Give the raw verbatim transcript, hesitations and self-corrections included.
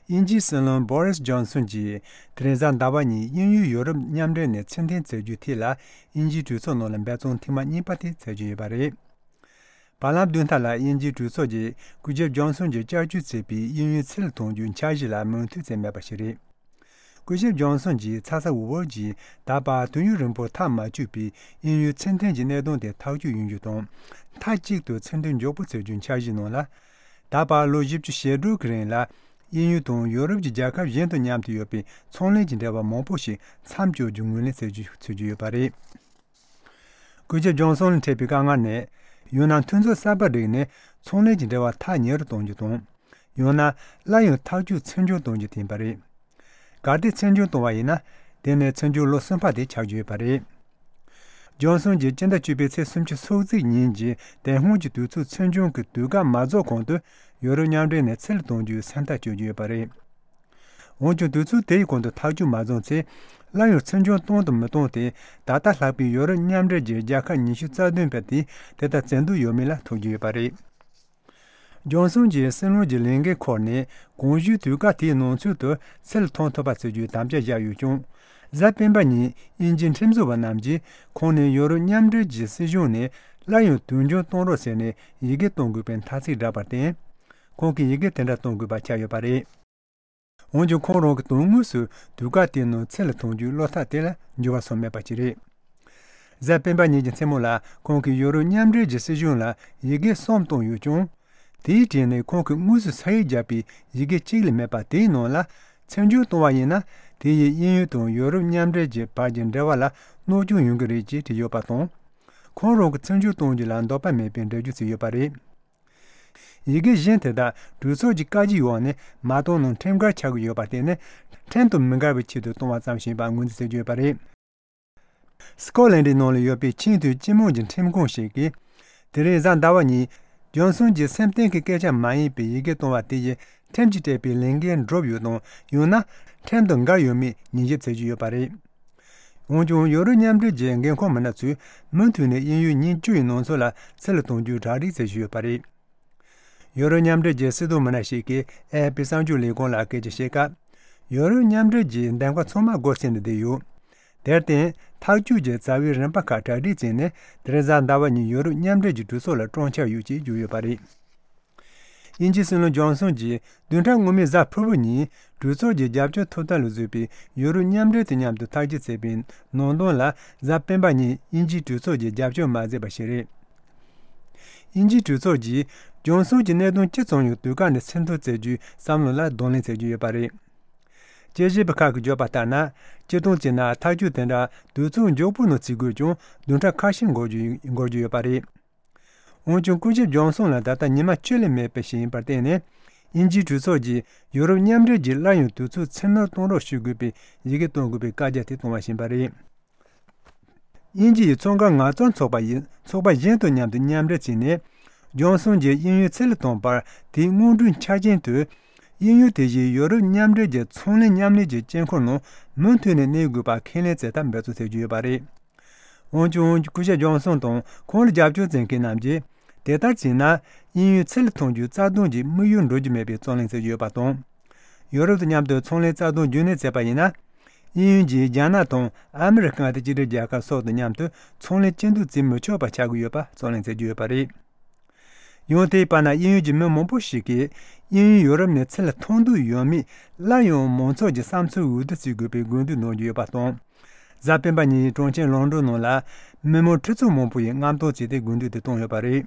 དབྱིན་ཇིའི་སྲིད་བློན་བྷོ་རིས་ཇོན་སོན་གྱིས་དེ་རིང་གཟའ་ཟླ་བ་ཉིན་དབྱིན་ཡུལ་ཡོ་རོབ་མཉམ་འབྲེལ་ནས་ཕྱིར་འཐེན་མཛད་རྒྱུའི་ཐད་ལ། དབྱིན་ཇིའི་གྲོས་ཚོགས་ནང་ལ་འབད་བརྩོན་ཐེངས་མ་གཉིས་པ་དེ་མཛད་རྒྱུ་ཡོད་པ་རེད། བར་ལམ་བདུན་ཕྲག་ལ་དབྱིན་ཇིའི་གྲོས་ཚོགས་ཀྱིས་སྐུ་ཞབས་ཇོན་སོན་གྱིས་བསྐྱར་བཅོས་བྱས་པའི་དབྱིན་ཡུལ་ཚུར་གཏོང་རྒྱུའི་འཆར་གཞི་ལ་མོས་མཐུན་བྱས་མེད་པ་ཞིག་རེད། སྐུ་ཞབས་ཇོན་སོན་གྱིས་ཚ་ཚ་འུར་འུར་གྱིས་ད་བར་དུས་ཡུན་རིང་པོར་ཐག་མ་ཆོད་པའི་དབྱིན་ཡུལ་ཚུར་འཐེན་གྱི་གནད་དོན་དེ་ཐག་གཅོད་ཡོང་རྒྱུ་དང་། མཐའ་གཅིག་ཏུ་ཚུར་འཐེན་མགྱོགས་པོ་བྱེད་རྒྱུའི་འཆར་གཞིའི་ནང་ལ། ད་བར་ལོ་བཞི་བཅུ་ཞེ་དྲུག་གི་རིང་ལ་དབྱིན་ཡུལ་དང་ཡོ་རོབ་ཀྱི་རྒྱལ་ཁབ་གཞན་དང་མཉམ་དུ་ཡོད་པའི་ཚོང་ལས་ཀྱི་འབྲེལ་བ་མང་པོ་ཞིག་མཚམས་འཇོག་རྒྱུ་ངོས་ལེན་བྱེད་རྒྱུ་བྱེད་རྒྱུ་ཡོད་པ་རེད། སྐུ་ཞབས་ཇོན་སོན་ལ་འཕྲད་པའི་དཀའ་ངལ་ནི། ཡང་ན་མཐུན་ཚོགས་གསར་པ་བསྒྲིགས་ནས་ཚོང་ལས་ཀྱི་འབྲེལ་བ་ཐག་ཉེ་རུ་གཏོང་རྒྱུ་དང་། ཡང་ན་སླར་ཡང་ཐག་གཅོད་ཚུར་འབྱོར་གཏོང་རྒྱུ་དེ་ཡིན་པ་རེད། གལ་ཏེ་ཚུར་འབྱོར་གཏོང་བ་ཡིན་ན། དེ་ནི་ཚུར་འབྱོར་ལོ་གསུམ་པ་དེ་ཆགས་རྒྱུ་ཡོད་པ་རེད། ཇོན་སོན་གྱིས་སྤྱི་ཟླ་བཅུ་པའི་ཚེས་སུམ་ཅུ་སོ་གཅིག་ཉིན་གྱི་དེ་སྔོན་གྱི་དུས་ཚོད་ཚུར་འབྱོར་གྱི་དུས་བཀག་མ་རྫོགས་གོང་དུ་ཡོ་རོབ་མཉམ་འབྲེལ་ནས་ཚུར་གཏོང་རྒྱུའི་སེམས་ཐག་གཅོད་ཀྱི་ཡོད་པ་རེད། འོན་ཀྱང་དུས་ཚོད་དེའི་གོང་དུ་ཐག་གཅོད་མ་བྱུང་ཚེ། སླར་ཡང་ཚུར་འབྱོར་གཏོང་དང་མི་གཏོང་དེ་ད་ལྟ་ལྷག་པའི་ཡོ་རོབ་མཉམ་འབྲེལ་གྱི་རྒྱལ་ཁབ་ཉི་ཤུ་རྩ་བདུན་པ་དེས་དེ་ལྟར་བྱེད་འདོད་ཡོད་མེད་ལ་ཐུག་རྒྱུ་ཡོད་པ་རེད། ཇོན་སོན་གྱིས་སྲིད་བློན་གྱི་ལས་འགན་འཁུར་ནས་གོང་ཞུས་དུས་བཀག་དེའི་ནང་ཚུད་དུ་ཚུར་གཏོང་ཐུབ་པ་བྱེད་རྒྱུའི་དམ་བཅའ་བཞག་ཡོད་ཀྱང་། གཟའ་སྤེན་པ་ཉིན་དབྱིན་ཇིའི་ཁྲིམས་བཟོ་བ་རྣམས་ཀྱིས་ཁོང་ནས་ཡོ་རོབ་མཉམ་འབྲེལ་གྱི་སྲིད་གཞུང་ནས་སླར་ཡང་དུས་འགྱངས་གཏོང་རོགས་ཟེར་ནས་ཡི་གེ་གཏོང་དགོས་པའི་ཐ་ཚིག་བསྒྲགས་པར་བརྟེན། ཁོང་གིས་ཡི་གེ་དེ་འདྲ་གཏོང་དགོས་པ་ཆགས་ཡོད་པ་རེད། འོན་ཀྱང་ཁོང་རང་གིས་དོན་དངོས་སུ་དུས་བཀག་དེའི་ནང་ཚུར་ལ་གཏོང་རྒྱུའི་བློ་ཐག་དེ་ལ་འགྱུར་བ་སོང་མེད་པ་ཞིག་རེད། གཟའ་སྤེན་པ་ཉིན་གྱི་མཚན་མོ་ལ་ཁོང་གིས་ཡོ་རོབ་མཉམ་འབྲེལ་གྱི་སྲིད་གཞུང་ལ་ཡི་གེ་གསུམ་བཏང་ཡོད་ཀྱང་། དེའི་གྲས་ནས་ཁོང་གིས་དངོས་སུ་ས་ཡིག་བརྒྱབ་པའི་ཡི་གེ་གཅིག་ལས་མེད་པ་དེའི་ནང་ལ། ཚུར་འབྱོར་གཏོང་བ་ཡིན་ན། དེ་ཡིས་དབྱིན་ཡུལ་དང་ཡོ་རོབ་མཉམ་འབྲེལ་གྱི་བར་གྱི་འབྲེལ་བ་ལ་གནོད་སྐྱོན་ཡོང་གི་རེད་ཅེས་བྲིས་ཡོད་པ་དང་། ཁོང་རང་གིས་ཚུར་འབྱོར་གཏོང་རྒྱུ་ལ་འདོད་པ་མེད་པའི་འགྲེལ་བརྗོད་བྱས་ཡོད་པ་རེད། ཡི་གེ་གཞན་དེ་དག་གྲོས་ཚོགས་ཀྱི་བཀའ་བཞིན་འོག་ནས་མ་གཏོང་ན་ཁྲིམས་འགལ་ཆགས་ཀྱི་ཡོད་པར་བརྟེན་ནས། ཁྲིམས་དང་མི་འགལ་བའི་ཆེད་དུ་གཏོང་བ་ཙམ་ཞིག་ཡིན་པར་ངོས་འཛིན་བྱེད་ཀྱི་ཡོད་པ་རེད། སི་ཀོ་ལན་ཌི་ནང་ལ་ཡོད་པའི་ཆེས་མཐོའི་སྤྱི་དམངས་ཀྱི་ཁྲིམས་ཁང་ཞིག་གིས། དེ་རིང་གཟའ་ཟླ་བ་ཉིན། ཇོན་སོན་གྱིས་སེམས་གཏིང་གི་སྐད་ཆ་མ་ཡིན་པའི་ཡི་གེ་གཏོང་བ་དེ་ཡིས་ཁྲིམས་ཀྱིས་སྤྲད་པའི་ལས་འགན་འགྲུབ་ཡོད་དམ། ཡང་ན་ཁྲིམས་དང་འགལ་ཡོད་མེད་ཉན་ཞིབ་བྱེད་ཀྱི་ཡོད་པ་རེད། འོན་ཀྱང་ཡོ་རོབ་མཉམ་འབྲེལ་གྱི་འགན་འཁུར་མི་སྣ་ཚོས་མུ་མཐུད་ནས་དབྱིན་ཡུལ་ཉིན་བཅུ་ཡི་ནང་ཚུད་ལ་ཚུར་ལ་གཏོང་རྒྱུའི་གྲ་སྒྲིག་བྱེད་བཞིན་ཡོད་པ་རེད། ཡོ་རོབ་མཉམ་འབྲེལ་གྱི་སྲིད་དོན་མི་སྣ་ཞིག་གིས་ཨེ་ཨེཕ་པི་གསར་འགྱུར་ལས་ཁུངས་ལ་སྐད་ཆ་བཤད་སྐབས། ཡོ་རོབ་མཉམ་འབྲེལ་གྱི་འདེམས་ཀ་ཚང་མ་སྒོ་ཕྱེ་ནས་བསྡད་ཡོད། དེར་བརྟེན། ཐག་གཅོད་ཀྱི་རྩ་བའི་རིམ་པ་ཁག་གྲ་སྒྲིག་བྱས་ནས་དེ་རིང་གཟའ་ཟླ་བ་ཉིན་ཡོ་རོབ་མཉམ་འབྲེལ་གྱི་གྲོས་ཚོགས་ལ་བསྐྱོན་འཆར་ཡོད་ཅེས་བརྗོད་ཡོད་པ་རེད། དབྱིན་ཇིའི་སྲིད་བློན་ཇོན་སོན་གྱིས་བདུན་ཕྲག་སྔོན་མའི་གཟའ་ཕུར་བུ་ཉིན་གྲོས་ཚོགས་ཀྱི་རྒྱབ་སྐྱོར་ཐོབ་ཐང་ལ་བཟོས་པའི་ཡོ་རོབ་མཉམ་འབྲེལ་དང་མཉམ་དུ་ཐག་གཅོད་བྱས་པའི་ནང་དོན་ལ་གཟའ་སྤེན་པ་ཉིན་དབྱིན་ཇིའི་གྲོས་ཚོགས་ཀྱིས་རྒྱབ་སྐྱོར་མ་མཛད་པ་ཞིག་རེད། དབྱིན་ཇིའི་གྲོས་ཚོགས་ཀྱིས་ཇོན་སོན་གྱི་གནད་དོན་ཅི་ཙམ་ཡང་དུས་བཀག་ནས་ཕྱིར་འཐེན་བྱེད་རྒྱུའི་བསམ་བློ་ལ་གདོང་ལེན་བྱེད་ཀྱི་ཡོད་པ་རེད། དཔྱད་ཞིབ་པ་ཁག་གིས་བརྗོད་པ་ལྟར་ན། སྤྱིར་བཏང་བྱས་ན་ཐག་གཅོད་དེ་འདྲ་དུས་ཚོད་མགྱོགས་པོའི་ནང་བྱེད་དགོས་ཀྱང་བདུན་ཕྲག་ཁ་ཤས་འགོར་རྒྱུ་འགོར་རྒྱུ་ཡོད་པ་རེད། འོན་ཀྱང་སྐུ་ཞབས་ཇོན་སོན་ལ་ད་ལྟ་ཉི་མ་བཅུ་ལས་མེད་པ་ཞིག་ཡིན་པར་བརྟེན་ནས། དབྱིན་ཇིའི་གྲོས་ཚོགས་ཀྱིས་ཡོ་རོབ་མཉམ་འབྲེལ་གྱིས་སླར་ཡང་དུས་ཚོད་ཚུར་སྣོན་གཏོང་རོགས་ཞུ་དགོས་པའི་ཡི་གེ་གཏོང་དགོས་པའི་བཀའ་རྒྱ་དེ་བཏང་བ་ཡིན་པ་རེད། དབྱིན་ཇི་ཡི་ཚོང་ཁང་ངལ་རྩོལ་ཚོགས་པ་ཡིས་ཚོགས་པ་གཞན་དང་མཉམ་དུ་མཉམ་འབྲེལ་བྱས་ནས། ཇོན་སོན་གྱིས་དབྱིན་ཡུལ་ཚུར་ལ་གཏོང་བར་དེའི་སྔོན་འགྲོའི་ཆ་རྐྱེན་དུ། དབྱིན་ཡུལ་དེ་བཞིན་ཡོ་རོབ་མཉམ་འབྲེལ་གྱི་ཚོང་ལས་མཉམ་ལས་ཀྱི་དཀྱིལ་འཁོར་ནང་མུ་མཐུད་ནས་གནས་དགོས་པ་ཁས་ལེན་བྱེད་ཐབས་འབད་བརྩོན་བྱེད་ཀྱི་ཡོད་པ་རེད། འོན་ཀྱང་སྐུ་ཞབས་ཇོན་སོན་དང་ཁོང་ལ་རྒྱབ་སྐྱོར་བྱེད་མཁན་རྣམས་ཀྱིས། དེ་ལྟར་བྱས་ན། དབྱིན་ཡུལ་ཚུར་ལ་གཏོང་རྒྱུའི་རྩ་དོན་གྱི་དམིགས་ཡུལ་འགྲུབ་རྒྱུ་མེད་པའི་རྩོད་གླེང་བྱེད་ཀྱི་ཡོད་པ་དང་། ཡོ་རོབ་དང་མཉམ་དུ་ཚོང་ལས་རྩ་དོན་རྒྱུན་གནས་བྱས་པ་ཡིན་ན། དབྱིན་ཡུལ་གྱིས་རྒྱ་ནག་དང་ཨ་མི་རི་ཀ་དང་གཅིག་སྒྲིལ་རྒྱལ་ཁབ་སོགས་དང་མཉམ་དུ་ཚོང་ལས་སྐྱིད་སྡུག་བྱེད་མི་ཆོག་པ་ཆགས་ཀྱི་ཡོད་པ་རྩོད་གླེང་བྱེད་ཀྱི་ཡོད་པ་རེད། ཡང་དེའི་བར་ན་དབྱིན་ཡུལ་གྱི་མི་མང་པོ་ཞིག་གིས་དབྱིན་ཡུལ་ཡོ་རོབ་ནས་ཚུར་ལ་གཏོང་འདོད་ཡོད་མེད་སླར་ཡང་མང་ཚོགས་ཀྱི་བསམ་ཚུལ་འོས་བསྡུ་བྱེད་དགོས་པའི་དགོས་འདུན་གནང་རྒྱུ་ཡོད་པ་དང་། གཟའ་སྤེན་པ་ཉིན་གྲོང་ཁྱེར་ལོན་ཌོན་ནང་ལ་མི་མང་ཁྲི་ཚོ་མང་པོ་ཡིས་རྔམ་སྟོན་བྱས་ཏེ་དགོས་འདུན་དེ་བཏོན་ཡོད་པ་རེད།